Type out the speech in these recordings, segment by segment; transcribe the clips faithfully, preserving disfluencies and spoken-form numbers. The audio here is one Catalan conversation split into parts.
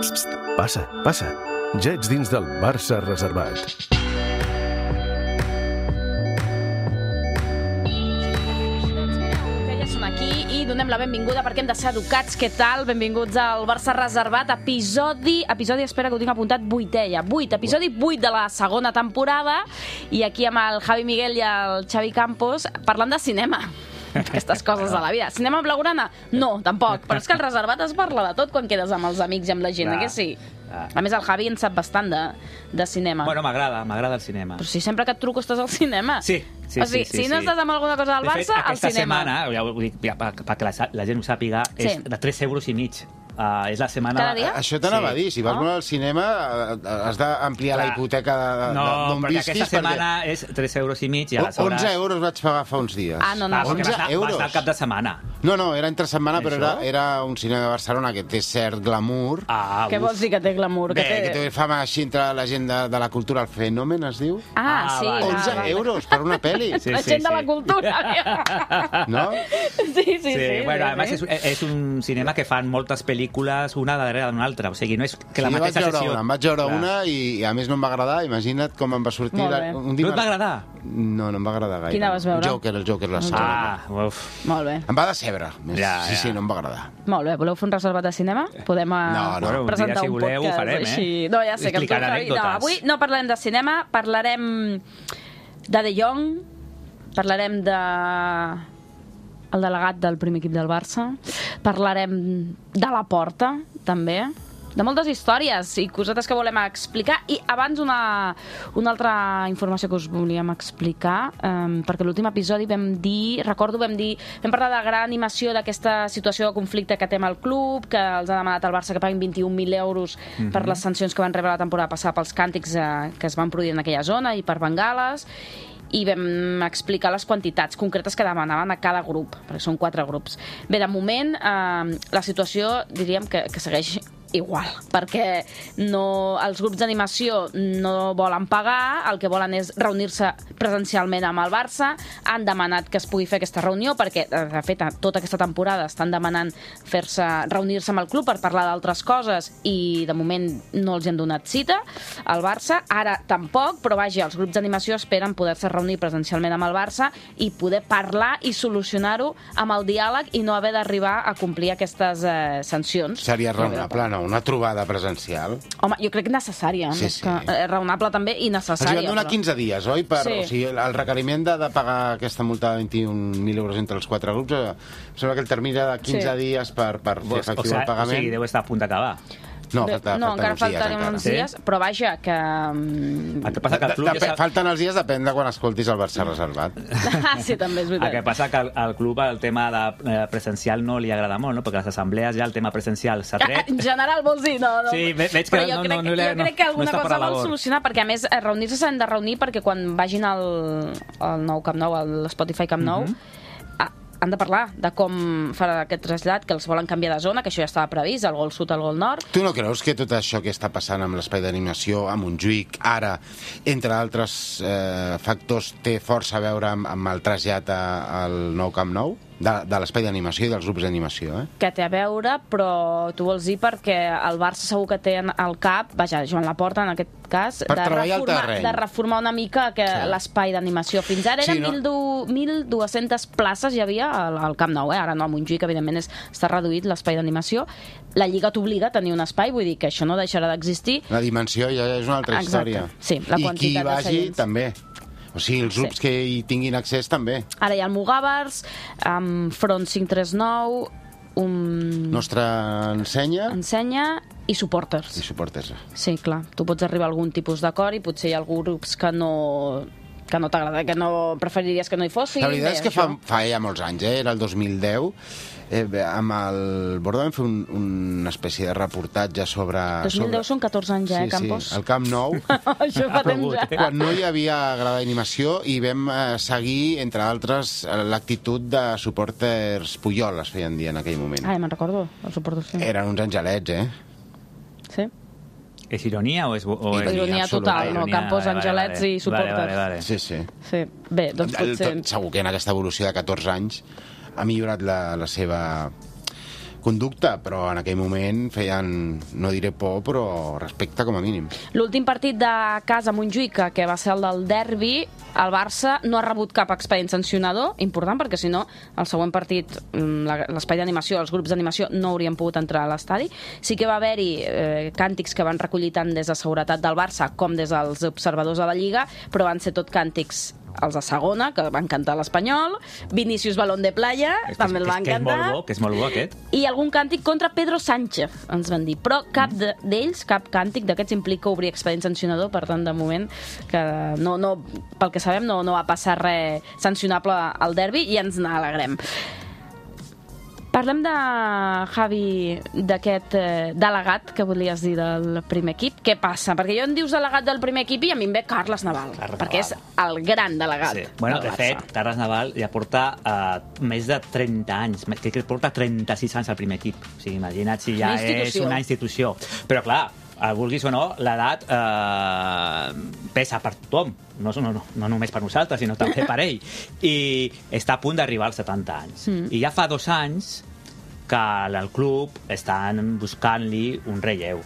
Psst, passa, passa. Ja ets dins del Barça reservat. Aquí i donem la benvinguda perquè hem de ser educats. Què tal? Benvinguts al Barça Reservat, episodi, episodi, espera que ho tinc apuntat, vuitè ja, vuit, episodi vuit de la segona temporada, i aquí amb el Javi Miguel i el Xavi Campos parlant de cinema. Aquestes coses de la vida. Cinema blaugrana? No, tampoc. Però és que el Reservat es parla de tot quan quedes amb els amics i amb la gent, eh que sí? A més, el Javi en sap bastant de, de cinema. Bueno, m'agrada, m'agrada el cinema. Però si sempre que et truco estàs al cinema. Sí, sí, o sigui, sí, sí. Si no sí. estàs amb alguna cosa del de Barça, fet, al cinema. Aquesta setmana, ja ho dic, ja, perquè la, la gent ho sàpiga, Sí. és de tres euros i mig. Uh, és la setmana... Cada dia? Això t'anava Sí. a dir, si vas Oh. molt al cinema has d'ampliar la Clar. hipoteca de- No, d'on perquè visquis. aquesta setmana és tres euros i mig i O- aleshores... onze euros vaig pagar fa uns dies. Ah, no, no. Ah, perquè onze vas anar, euros. vas anar al cap de setmana. No, no, era entre setmana, però era, Això? era un cinema de Barcelona que té cert glamour. Ah, Què vols dir que té glamour? Bé, que té... que té fama així entre la gent de, de la cultura, el fenomen es diu. Ah, Ah, sí. vale. va, onze va. euros per una pel·li, Sí, La sí, gent de sí. la cultura. no? Sí, sí, sí. Sí, bueno, sí, a més sí. és, és un cinema que fan moltes pel·lícules una darrere d'una altra, o sigui, no és que la Sí, jo vaig mateixa veure sessió... una, em vaig veure Clar. una i, i a més no em va agradar. Imagina't com em va sortir Molt la, bé. un No et va agradar? No, no em va agradar gaire. Quina vas veure? Joker, el Joker, la segona. Ah, uf. Molt bé. Em va decebre. Més. Ja, sí, ja. sí, no em va agradar. Molt bé. Voleu fer un reservat de cinema? Podem uh, No, no. Bueno, un presentar dia, si un voleu, ho podcast farem, eh? així. No, ja sé que em Explicant toca. No, anècdotes. avui no parlarem de cinema, parlarem de De Jong, parlarem de el delegat del primer equip del Barça, parlarem de la Porta, també, de moltes històries i cosetes que volem explicar. I abans una, una altra informació que us volíem explicar, um, perquè l'últim episodi vam dir, recordo, vam dir, vam parlar de gran animació d'aquesta situació de conflicte que té amb el club, que els ha demanat al Barça que paguin vint-i-un mil euros mm-hmm. per les sancions que van rebre la temporada passada pels càntics eh, que es van produir en aquella zona i per bengales, i vam explicar les quantitats concretes que demanaven a cada grup, perquè són quatre grups. Bé, de moment, eh, la situació diríem que, que segueix igual, perquè no, els grups d'animació no volen pagar, el que volen és reunir-se presencialment amb el Barça, han demanat que es pugui fer aquesta reunió perquè, de fet, tota aquesta temporada estan demanant fer-se reunir-se amb el club per parlar d'altres coses i de moment no els hi han donat cita al Barça, ara tampoc, però vaja, els grups d'animació esperen poder-se reunir presencialment amb el Barça i poder parlar i solucionar-ho amb el diàleg i no haver d'arribar a complir aquestes eh, sancions. Seria raonable, no? Una trobada presencial. Home, jo crec que necessària, Sí, més sí. que eh, raonable també i Els necessària. van donar però- quinze dies, oi? Per, Sí. o sigui, el requeriment de, de pagar aquesta multa de vint-i-un mil euros entre els quatre grups, eh, em sembla que el termini era de quinze Sí. dies per, per fer O, efectiu sigui, el pagament. o sigui, deu estar a punt d'acabar. No, Bé, falta, no, falten encara uns dies. faltarem encara. uns Sí? dies, però vaja, que... mm, El que passa que el club... Dep- ja sap- Falten els dies, depèn de quan escoltis el Barça reservat. Ah, sí, també és El que veritat. passa que al, al club el tema de eh, presencial no li agrada molt, no? Perquè a les assemblees ja el tema presencial s'ha Ah, tret. En general vols dir? No, no. Sí, ve- veig que Però jo no- crec, no- no li- jo no- crec que no alguna està per cosa la vol labor. solucionar, perquè a més eh, reunir-se s'han de reunir perquè quan vagin al, al nou Camp Nou, a l'Spotify Camp Nou, ah, han de parlar de com farà aquest trasllat, que els volen canviar de zona, que això ja estava previst, el gol sud, el gol nord. Tu no creus que tot això que està passant amb l'espai d'animació, a Montjuïc, ara, entre altres eh, factors, té força a veure amb, amb el trasllat a- al nou Camp Nou? De, de l'espai d'animació i dels grups d'animació, eh? Que té a veure, però tu vols dir perquè el Barça segur que té en- al cap, vaja, Joan Laporta en aquest cas, Per de treballar el reformar, terreny. de reformar una mica que Sí. l'espai d'animació. Fins ara Sí, eren no? mil dues-centes places hi havia al, al Camp Nou, eh? Ara no, a Montjuïc, evidentment, és, està reduït l'espai d'animació. La Lliga t'obliga a tenir un espai, vull dir que això no deixarà d'existir. La dimensió ja és una altra Exacte. història. Sí, la I qui quantitat de vagi, seients. també. O sigui, els grups Sí. que hi tinguin accés, també. Ara hi ha el Mugàvers, amb Front cinc tres nou, un... Nostra ensenya ensenya i supporters. i suporters. Sí, clar. Tu pots arribar a algun tipus d'acord i potser hi ha alguns grups que no que no t'agrada, que no preferiries que no hi fossin. La veritat Bé, és que això. fa, fa ja molts anys, eh? Era el dos mil deu, eh, bé, amb el Borda vam fer un, una espècie de reportatge sobre... dos mil deu sobre... són catorze anys ja, sí, eh, Campos? Sí, el Camp Nou, Això fa temps ja. quan no hi havia grada d'animació, i vam eh, seguir, entre altres, eh, l'actitud de supporters Puyol, es feien dir en aquell moment. Ai, me'n recordo, el suporto, sí. Eren uns angelets, eh? Sí? És ironia o és... O Ironia és... Ironia absoluta, total, no? ironia, Campos, vale, vale, angelets vale. i supporters. Vale, vale, vale. Sí, sí. Sí. Bé, doncs El- potser... tot- segur que en aquesta evolució de catorze anys ha millorat la, la seva conducta, però en aquell moment feien, no diré por, però respecte com a mínim. L'últim partit de casa a Montjuïc, que va ser el del derbi, el Barça no ha rebut cap expedient sancionador, important, perquè si no, el següent partit, l'espai d'animació, els grups d'animació no haurien pogut entrar a l'estadi. Sí que va haver-hi eh, càntics que van recollir tant des de seguretat del Barça com des dels observadors de la Lliga, però van ser tot càntics els de segona, que van cantar l'Espanyol, Vinícius Balón de Playa, és, també el van que és cantar. Molt bo, que és molt bo aquest. I algun càntic contra Pedro Sánchez, ens van dir. Però cap d'ells, cap càntic d'aquests implica obrir expedient sancionador, per tant, de moment, que no, no, pel que sabem, no, no va passar res sancionable al derbi i ens n'alegrem. Parlem de, Javi, d'aquest eh, delegat que volies dir del primer equip. Què passa? Perquè jo em dius delegat del primer equip i a mi em ve Carles Naval, Carles perquè Naval. és el gran delegat. Sí. Bueno, de fet, Carles Naval ja porta uh, més de trenta anys, crec que porta trenta-sis anys al primer equip. O sigui, imagina't si ja és una institució. Però clar, vulguis o no, l'edat eh, pesa per tothom, no, no, no, no només per nosaltres, sinó també per ell. I està a punt d'arribar als setanta anys. Mm. I ja fa dos anys que al club estan buscant-li un relleu.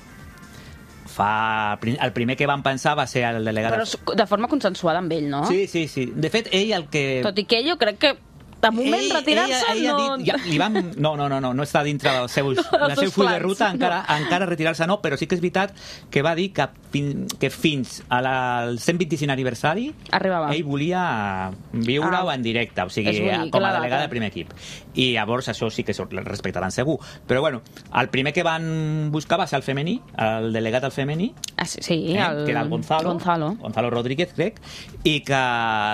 Fa... El primer que van pensar va ser el delegat... Però de forma consensuada amb ell, no? Sí, sí, sí. De fet, ell el que... Tot i que jo crec que de moment retirar-se no... Dit, ja, li van... No, no, no, no, no està dintre del seu, no, del seu full de ruta, encara, no. encara retirar-se no, però sí que és veritat que va dir que, fin, que fins al cent vint-i-cinc aniversari arribava. Ell volia viure-ho ah. en directe, o sigui, bonic, com a delegat del primer equip. I llavors això sí que el respectaran segur. Però bueno, el primer que van buscar va ser el femení, el delegat del femení, ah, sí, sí, eh, el... que era el Gonzalo, Gonzalo. Gonzalo Rodríguez, crec, i que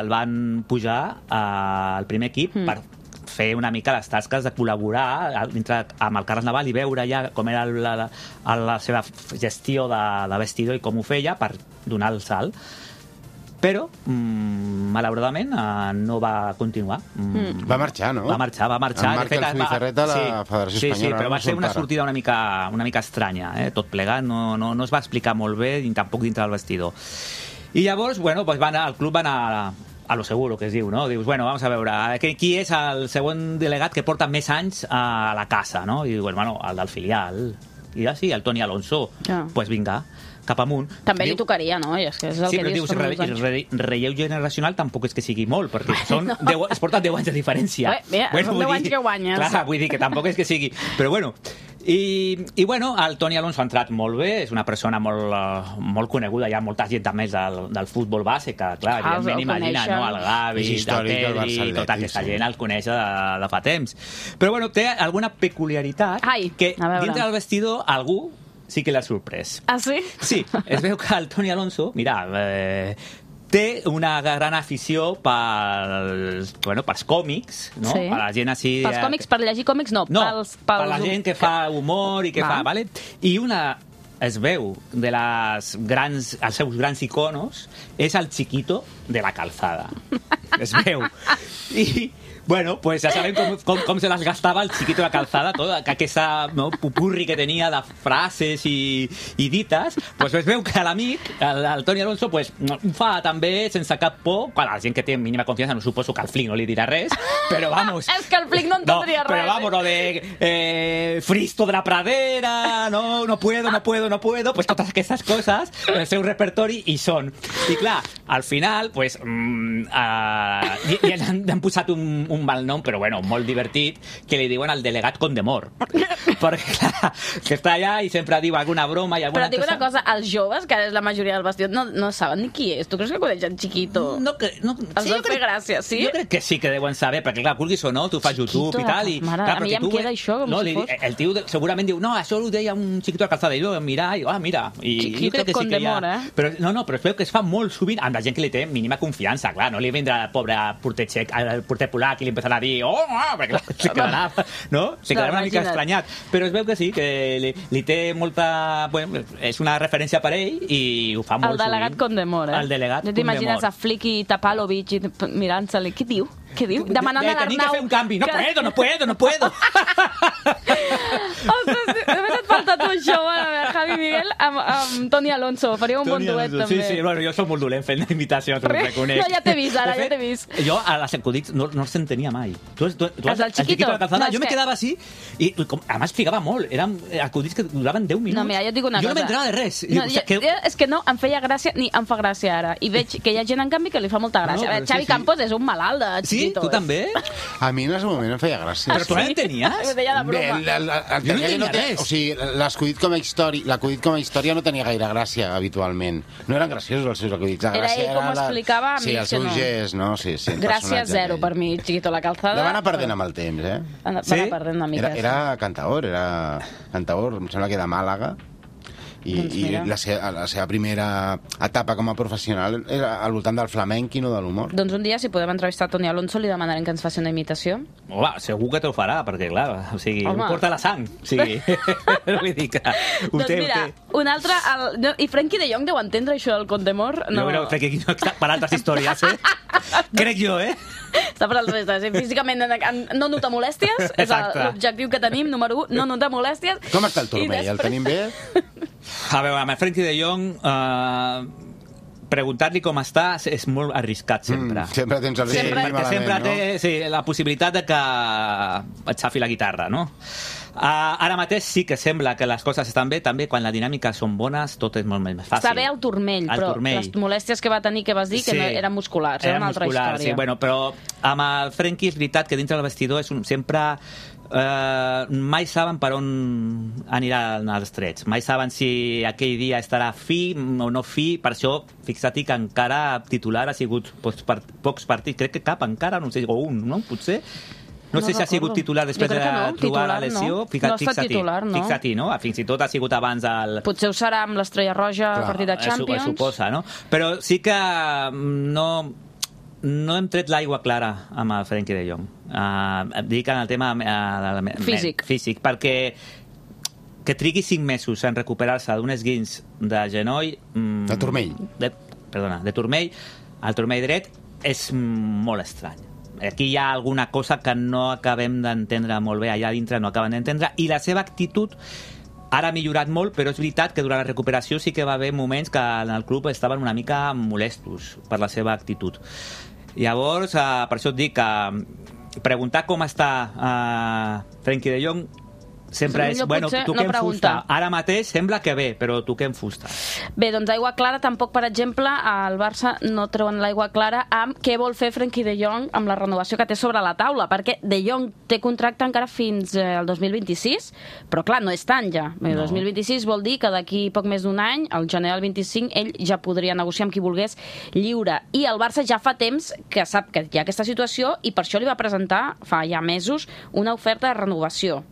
el van pujar al primer equip mm. per fer una mica les tasques de col·laborar dintre, amb el Carles Naval i veure ja com era la, la, la seva gestió de, de vestidor i com ho feia per donar el salt. Però, mmm, malauradament, eh, no va continuar. Mm. Va marxar, no? Va marxar, va marxar. En Marc Zubizarreta a la sí, Federació sí, Espanyola. Sí, però va ser una sortida una mica, una mica estranya, eh? Tot plegat, no, no, no es va explicar molt bé, ni tampoc dintre del vestidor. I llavors, bueno, pues van, el club va anar a, a lo seguro, que es diu, no? Dius, bueno, vamos a veure, qui és el següent delegat que porta més anys a la casa, no? I dius, bueno, el del filial. I ja sí, el Toni Alonso. Ja. Pues vinga, cap amunt. També diu, li tocaria, no? I és que és el sí, que però dius, dius re, re, relleu generacional tampoc és que sigui molt, perquè són no. deu, es porten deu anys de diferència. Bé, bé, bueno, són deu anys que guanyes. Clar, vull dir que tampoc és que sigui... Però bueno, i, i bueno, el Toni Alonso ha entrat molt bé, és una persona molt, uh, molt coneguda, hi ha molta gent més del, del futbol base, que clar, ah, evidentment imagina, no? El Gavi, el Pedri, tota aquesta gent el coneix de, de fa temps. Però bueno, té alguna peculiaritat Ai, que dintre del vestidor algú sí que l'ha sorprès. Ah, sí? Sí, es veu que el Toni Alonso, mira, eh, té una gran afició pels, bueno, pels còmics, no? Sí. Per la gent així... Pels còmics, per llegir còmics, no. No, pels, pels... per la gent que fa humor i que Va. fa... Vale? I una es veu de les grans, els seus grans iconos és el Chiquito de la Calzada. Es veu. I... Bueno, pues ja sabem com, com, com se les gastava el Chiquito de la Calzada, tota aquesta no, pupurri que tenia de frases i, i dites, pues es veu que l'amic, el, el Toni Alonso, pues, ho fa també sense cap por, quan la gent que té mínima confiança, no suposo que el Flick no li dirà res, però vamos... És que el Flick no entendria no, res. Però vamos, lo de eh, Fristo de la Pradera, no, no puedo, no puedo, no puedo, pues totes aquestes coses, el seu repertori hi són. I clar, al final, pues, mm, uh, i, i han, han posat un, un un mal nom, però bueno, molt divertit, que li diuen el delegat Condemor. Perquè, clar, que està allà i sempre diu alguna broma i alguna cosa... Però dic una cosa, els joves, que ara és la majoria del vestido, no, no saben ni qui és. Tu creus que coneixen Chiquito? No, que, no, els sí, deu fer gràcia, sí? Jo crec que sí que deuen saber, perquè clar, vulguis o no, tu fas YouTube Chiquito, i tal, i... Mare, clar, a mi ja em queda això, com no, si li, fos... El tio segurament diu, no, això ho deia un Chiquito de la Calzada, i jo mirar, i ah, mira... I, Chiquito i Condemor, sí ha... eh? Però, no, no, però es veu que es fa molt sovint amb la gent que li té mínima confiança, clar, no li vindrà el pobre porter txec, el porter polac i li empezarà a dir, oh, ah, perquè clar, se quedarà, no? Se quedarà una mica estranyat. Però es veu que sí, que li, li té molta... Bueno, és una referència per ell i ho fa molt sovint. El delegat sovint. Condemor, eh? El delegat Condemor. T'imagines a Flick i Tapalovic i mirant-se-li. Què diu? Què diu? Demanant de, de, a l'Arnau... Tenim que fer un canvi. No que... puedo, no puedo, no puedo. Ostres, només et falta tu això. Bueno, a veure, Javi Miguel, Miguel amb, amb Toni Alonso. Faria un bon duet, també. Sí, sí, bueno, jo soc molt dolent fent imitacions, ho reconec. No, ja t'he vist, ara, ja t'he vist. Jo a les acudits no, no els entenia mai. Tu, tu, tu Els del Chiquito? de la calzada, No, jo me quedava així i com, a més ficava molt. Eren acudits que duraven deu minuts. No, mira, jo et dic una jo cosa. no m'entrava de res. No, o sigui, que... És que no, em feia gràcia, ni em fa gràcia ara. I veig que hi ha gent, en canvi, que li fa molta gràcia. No, no, Xavi sí, sí. Campos és un malalt de Chiquito. Sí? Tu també? A mi en el moment em feia gràcia. Però tu no l'entenies? Ho deia de Bé, broma. el, el, el, Jo no el, tenia no té, res. o sigui, l'acudit com a història, l'acudit com a història no tenia gaire gràcia habitualment. No eren graciosos els seus acudits. La Era gràcia ell com ho la- explicava, a mi sí, és el que seu no. gest, no? Sí, sí, el Gràcia personatge zero aquell. per mi, Chiquito la calzada. La va anar perdent amb el temps, eh? Va anar Sí? perdent una mica. Era, era cantaor, era cantaor, em sembla que de Màlaga. I, Doncs i mira. la, seva, la seva primera etapa com a professional era al voltant del flamenc i no de l'humor. Doncs un dia, si podem entrevistar Toni Alonso, li demanarem que ens faci una imitació. Home, segur que t'ho farà, perquè, clar, o sigui, Home. ho porta la sang. O sigui, vull dir que ho Doncs té, mira, ho té. un altre... El... no, I Frenkie de Jong deu entendre això del Contemor? No. Jo crec que aquí no està per altres històries, eh? Crec jo, eh? Està per altres històries. Físicament no nota molèsties, és Exacte. l'objectiu que tenim, número un, no nota molèsties. Com està el turmell? I El tenim bé? A veure, amb el Frenkie de Jong, eh, preguntar-li com està és molt arriscat, sempre. Mm, sempre tens el Sí, Sempre- perquè malament, sempre no? té sí, la possibilitat de que et xafi la guitarra, no? Uh, ara mateix sí que sembla que les coses estan bé, també quan la dinàmica són bones tot és molt més fàcil. Està bé el turmell, El però turmell. les molèsties que va tenir, que vas dir, que Sí. no eren musculars, era Eren una altra musculars, història. Sí, bueno, però amb el Frenkie és veritat que dintre del vestidor és un, sempre eh, mai saben per on aniran els trets, mai saben si aquell dia estarà fi o no fi, per això fixa't que encara titular ha sigut pocs, part, pocs partits, crec que cap encara, no sé, o un, no? Potser no, No sé si ha sigut recordo. titular després Jo de crec que no, trobar la titular no. lesió. No Fica't, ha estat fixa-t'hi, titular, no. fixa-t'hi, no? Fins i tot ha sigut abans del... Potser ho serà amb l'Estrella Roja al Clar, partit de Es su- Champions. es suposa, no? Però sí que mm, no, no hem tret l'aigua clara amb el Frenkie de Jong. Uh, et dic en el tema uh, del Físic. físic, perquè que trigui cinc mesos en recuperar-se d'un esguins de genoll... Mm, De turmell. De, perdona, de turmell, el turmell dret és mm, molt estrany. Aquí hi ha alguna cosa que no acabem d'entendre molt bé, allà dintre no acaben d'entendre, i la seva actitud ara ha millorat molt, però és veritat que durant la recuperació sí que va haver moments que en el club estaven una mica molestos per la seva actitud. Llavors, eh, per això et dic que preguntar com està eh, Frenkie de Jong sempre Sí, és, millor bueno, potser tu no què en fusta? preguntar. Ara mateix sembla que bé, però tu què en fusta? Bé, doncs aigua clara, tampoc, per exemple, al Barça no treuen l'aigua clara amb què vol fer Frenkie de Jong amb la renovació que té sobre la taula, perquè de Jong té contracte encara fins eh, al dos mil vint-i-sis, però clar, no és tant ja. El No. dos mil vint-i-sis vol dir que d'aquí poc més d'un any, al gener del vint-i-cinc, ell ja podria negociar amb qui volgués lliure. I el Barça ja fa temps que sap que hi ha aquesta situació i per això li va presentar, fa ja mesos, una oferta de renovació.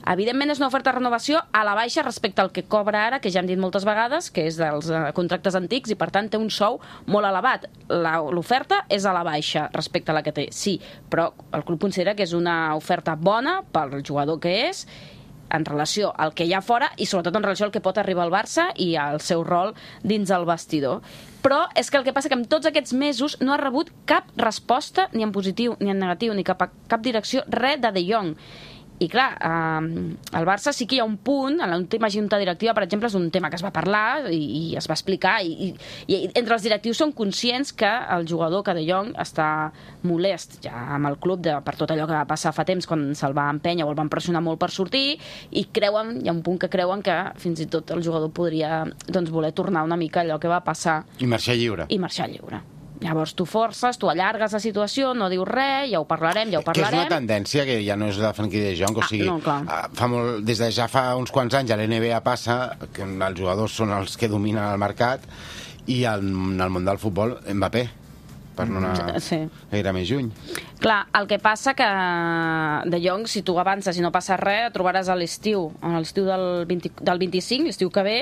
Evidentment és una oferta de renovació a la baixa respecte al que cobra ara, que ja hem dit moltes vegades, que és dels eh, contractes antics i per tant té un sou molt elevat. La- L'oferta és a la baixa respecte a la que té, sí, però el club considera que és una oferta bona pel jugador que és, en relació al que hi ha fora i sobretot en relació al que pot arribar al Barça i al seu rol dins el vestidor. Però és que el que passa que en tots aquests mesos no ha rebut cap resposta, ni en positiu ni en negatiu, ni cap a cap direcció, res de De Jong. I clar, eh, al Barça sí que hi ha un punt, en l'última junta directiva, per exemple, és un tema que es va parlar i, i es va explicar, i, i, i entre els directius són conscients que el jugador, que De Jong, està molest ja amb el club de, per tot allò que va passar fa temps quan se'l va empènyer o el van pressionar molt per sortir, i creuen, hi ha un punt que creuen que fins i tot el jugador podria doncs, voler tornar una mica allò que va passar I marxar lliure. i marxar lliure. Llavors tu forces, tu allargues la situació, no dius res, ja ho parlarem, ja ho Que és parlarem. una tendència que ja no és de Frenkie de Jong, o Ah, sigui, no, clar. ah, fa molt, des de ja fa uns quants anys a l'N B A passa que els jugadors són els que dominen el mercat i en el món del futbol Mbappé, per no anar Sí. gaire més lluny. Clar, el que passa que De Jong, si tu avances i no passa res, et trobaràs a l'estiu, a l'estiu del, vint, del vint-i-cinc, l'estiu que ve,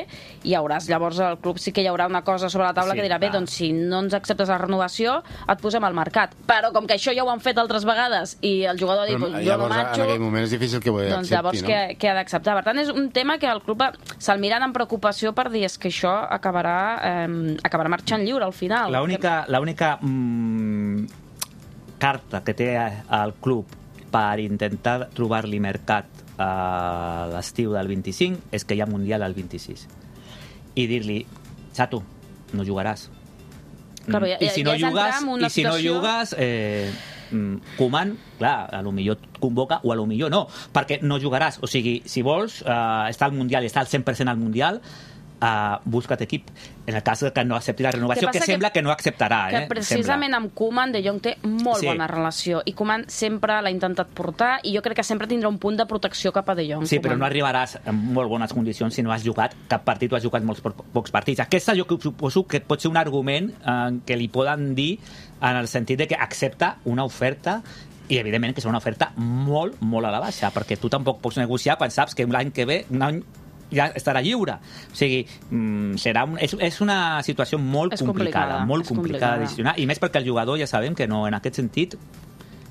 i hi hauràs, llavors al club sí que hi haurà una cosa sobre la taula Sí, que dirà, bé, clar. doncs si no ens acceptes la renovació, et posem al mercat. Però com que això ja ho han fet altres vegades i el jugador ha dit, Però, pues, jo no llavors, marxo, en aquell moment és difícil que ho doncs accepti, llavors no? què, què ha d'acceptar? Per tant, és un tema que el club va- se'l miren amb preocupació per dir és que això acabarà, eh, acabarà marxant lliure al final. L'única l'única mm, carta que té el club per intentar trobar-li mercat a l'estiu del vint-i-cinc és que hi ha Mundial al vint-i-sis. i dir-li, xato, no jugaràs. Claro, ja, I si no ja jugues, i si no jugues eh, Koeman, clar, a lo millor et convoca o a lo millor no, perquè no jugaràs. O sigui, si vols eh, estar al Mundial i estar al cent per cent al Mundial, Uh, busca't equip. En el cas que no accepti la renovació, que, que sembla que, que no acceptarà. Que eh? precisament sembla. amb Koeman De Jong té molt sí. bona relació i Koeman sempre l'ha intentat portar i jo crec que sempre tindrà un punt de protecció cap a De Jong. Sí, Koeman. però no arribaràs en molt bones condicions si no has jugat cap partit o has jugat molts po pocs partits. Aquesta jo suposo que pot ser un argument eh, que li poden dir en el sentit de que accepta una oferta i evidentment que serà una oferta molt, molt a la baixa, perquè tu tampoc pots negociar quan saps que l'any que ve, un any ja estarà lliure. O sigui, serà un, és, és una situació molt és complicada, complicada, molt és complicada complicada. de gestionar, i més perquè el jugador ja sabem que no, en aquest sentit,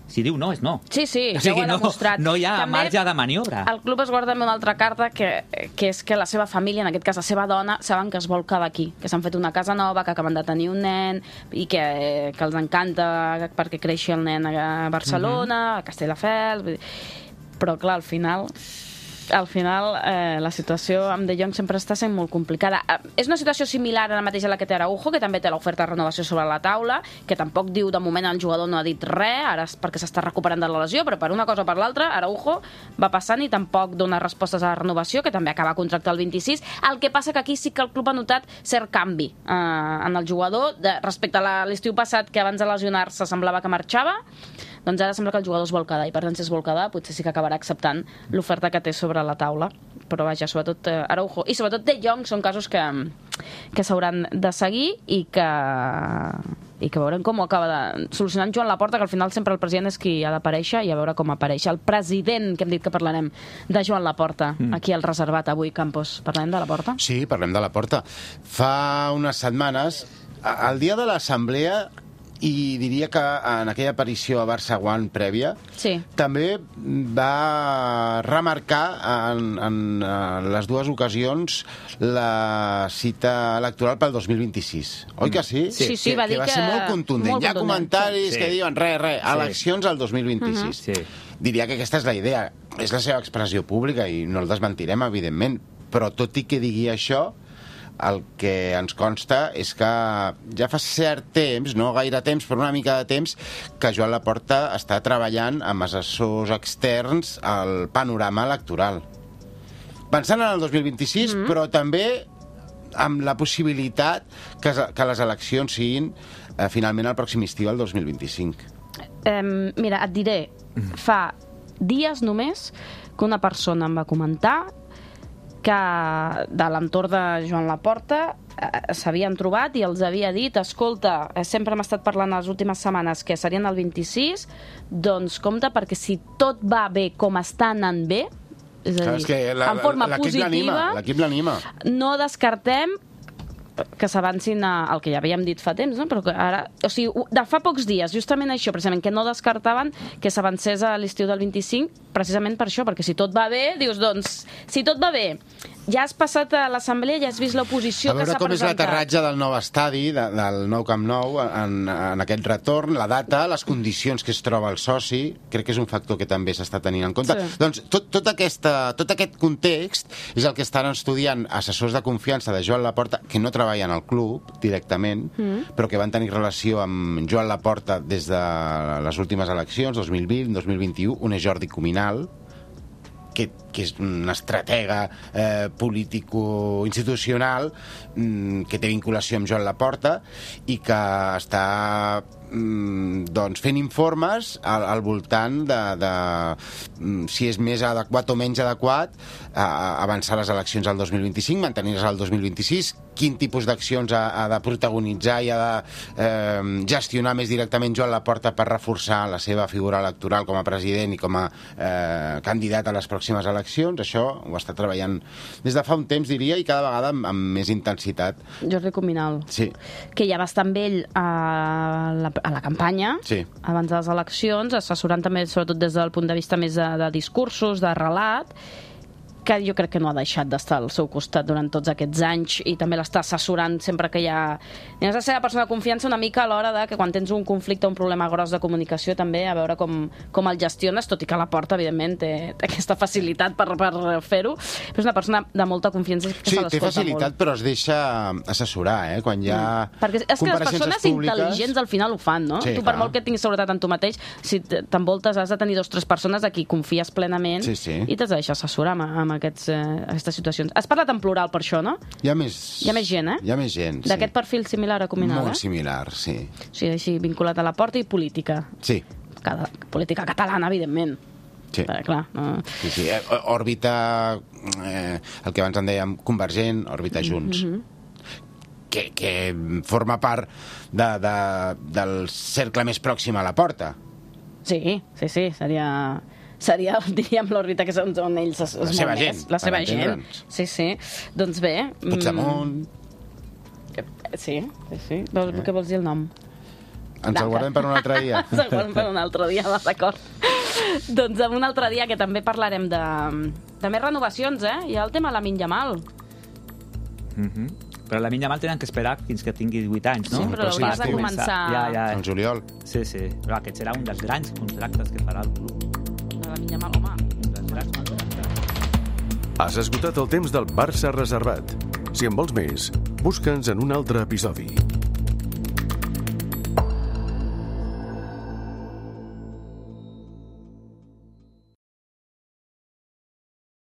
si diu no, és no. Sí, sí, o sigui, ja ho ha no, demostrat. no hi ha També marge de maniobra. El club es guarda també una altra carta que, que és que la seva família, en aquest cas la seva dona, saben que es vol quedar aquí, que s'han fet una casa nova, que acaben de tenir un nen i que, que els encanta perquè creixi el nen a Barcelona, uh-huh. a Castelldefels... Però, clar, al final... al final eh, la situació amb De Jong sempre està sent molt complicada. Eh, és una situació similar a la mateixa a la que té Araujo, que també té l'oferta de renovació sobre la taula, que tampoc diu, de moment el jugador no ha dit res, ara és perquè s'està recuperant de la lesió, però per una cosa o per l'altra, Araujo va passant i tampoc dona respostes a la renovació, que també acaba contracte el vint-i-sis. El que passa que aquí sí que el club ha notat cert canvi eh, en el jugador, de, respecte a l'estiu passat, que abans de lesionar-se semblava que marxava, doncs ara sembla que el jugador es vol quedar, i per tant si es vol quedar potser sí que acabarà acceptant l'oferta que té sobre la taula. Però vaja, sobretot eh, Araujo i sobretot De Jong són casos que, que s'hauran de seguir i que, i que veurem com ho acaba de solucionar Joan Laporta, que al final sempre el president és qui ha d'aparèixer, i a veure com apareix el president, que hem dit que parlarem de Joan Laporta, mm. aquí al reservat avui, Campos. Parlem de Laporta? Sí, parlem de Laporta. Fa unes setmanes, el dia de l'assemblea, i diria que en aquella aparició a Barça One prèvia, sí. també va remarcar en, en, en les dues ocasions la cita electoral pel dos mil vint-i-sis. Oi que sí? Sí, sí, sí, que, va dir que va que... ser molt contundent. Molt Hi ha contundent. comentaris sí. que diuen res, res, sí. eleccions al dos mil vint-i-sis. Uh-huh. sí. Diria que aquesta és la idea. És la seva expressió pública i no el desmentirem, evidentment. Però tot i que digui això, el que ens consta és que ja fa cert temps, no gaire temps, però una mica de temps, que Joan Laporta està treballant amb assessors externs al panorama electoral. Pensant en el dos mil vint-i-sis, mm-hmm. però també amb la possibilitat que, que les eleccions siguin eh, finalment el pròxim estiu, el dos mil vint-i-cinc. Um, mira, et diré, fa dies només que una persona em va comentar que de l'entorn de Joan Laporta eh, s'havien trobat i els havia dit, escolta, eh, sempre hem estat parlant les últimes setmanes que serien el vint-i-sis, doncs compte, perquè si tot va bé com està anant bé, és a dir, és que la, en forma positiva, l'equip l'anima. No descartem que s'avancin al que ja havíem dit fa temps, no? Però que ara, o sigui, de fa pocs dies, justament això, precisament, que no descartaven que s'avancés a l'estiu del vint-i-cinc, precisament per això, perquè si tot va bé, dius, doncs, si tot va bé, ja has passat a l'assemblea, ja has vist l'oposició que s'ha presentat. A veure com és l'aterratge del nou estadi, de, del nou Camp Nou, en, en aquest retorn, la data, les condicions que es troba el soci, crec que és un factor que també s'està tenint en compte. Sí. Doncs tot, tot, aquesta, tot aquest context és el que estan estudiant assessors de confiança de Joan Laporta, que no treballen al club directament, mm. però que van tenir relació amb Joan Laporta des de les últimes eleccions, dos mil vint, dos mil vint-i-u, un és Jordi Cuminal, que, que és un estratega eh, político-institucional mm, que té vinculació amb Joan Laporta i que està mm, doncs fent informes al, al voltant de, de mm, si és més adequat o menys adequat a, a avançar les eleccions al dos mil vint-i-cinc, mantenir-les al dos mil vint-i-sis, quin tipus d'accions ha, ha de protagonitzar i ha de eh, gestionar més directament Joan Laporta per reforçar la seva figura electoral com a president i com a eh, candidat a les pròximes eleccions. Això ho està treballant des de fa un temps, diria, i cada vegada amb, amb més intensitat. Jordi Cuminal, sí. que ja va estar amb ell a la, a la campanya, sí. abans de les eleccions, assessorant també, sobretot des del punt de vista més de, de discursos, de relat, que jo crec que no ha deixat d'estar al seu costat durant tots aquests anys i també l'està assessorant sempre que hi ha... I has de ser la persona de confiança una mica a l'hora de que quan tens un conflicte o un problema gros de comunicació també a veure com, com el gestiones, tot i que la Porta, evidentment, té, té aquesta facilitat per, per fer-ho, però és una persona de molta confiança que sí, se l'escolta té facilitat, molt. Però es deixa assessorar, eh? Quan hi ha mm. Perquè és que les persones públiques... intel·ligents al final ho fan, no? Sí, tu, per clar. molt que tinguis seguretat en tu mateix, si t'envoltes has de tenir dos o tres persones a qui confies plenament sí, sí. i t'has de deixar assessorar amb, amb aquests, eh, aquestes situacions. Has parlat en plural per això, no? Hi ha més, Hi ha més gent, eh? Hi ha més gent, sí. D'aquest perfil similar a Cuminal, Molt eh? similar, sí. O sigui, així, vinculat a la Porta i política. Sí. Cada, política catalana, evidentment. Sí. Però, clar, no... Sí, sí. Eh, òrbita, eh, el que abans en dèiem, Convergent, òrbita Junts. Mm-hmm. que, que forma part de, de, del cercle més pròxim a la Porta. Sí, sí, sí, seria... seria, diríem, l'òrbita que és on, on ells es, es La seva gent, la seva per gent. entendre'ns. Sí, sí. Doncs bé... Puigdemont... Mm, sí, sí, sí. Vols, eh? Què vols dir el nom? Ens el guardem per un altre dia. Ens el guardem per un altre dia, va, d'acord. Doncs en un altre dia que també parlarem de, de més renovacions, eh? Hi ha el tema de Lamine Yamal. Mhm. Però la Lamine Yamal tenen que esperar fins que tingui divuit anys, no? Sí, però l'hauries de començar... Ja, ja. El juliol. Sí, sí. Però aquest serà un dels grans contractes que farà el club. De Lamine Yamal, home. Un dels grans contractes. Has esgotat el temps del Barça reservat. Si en vols més, busca'ns en un altre episodi.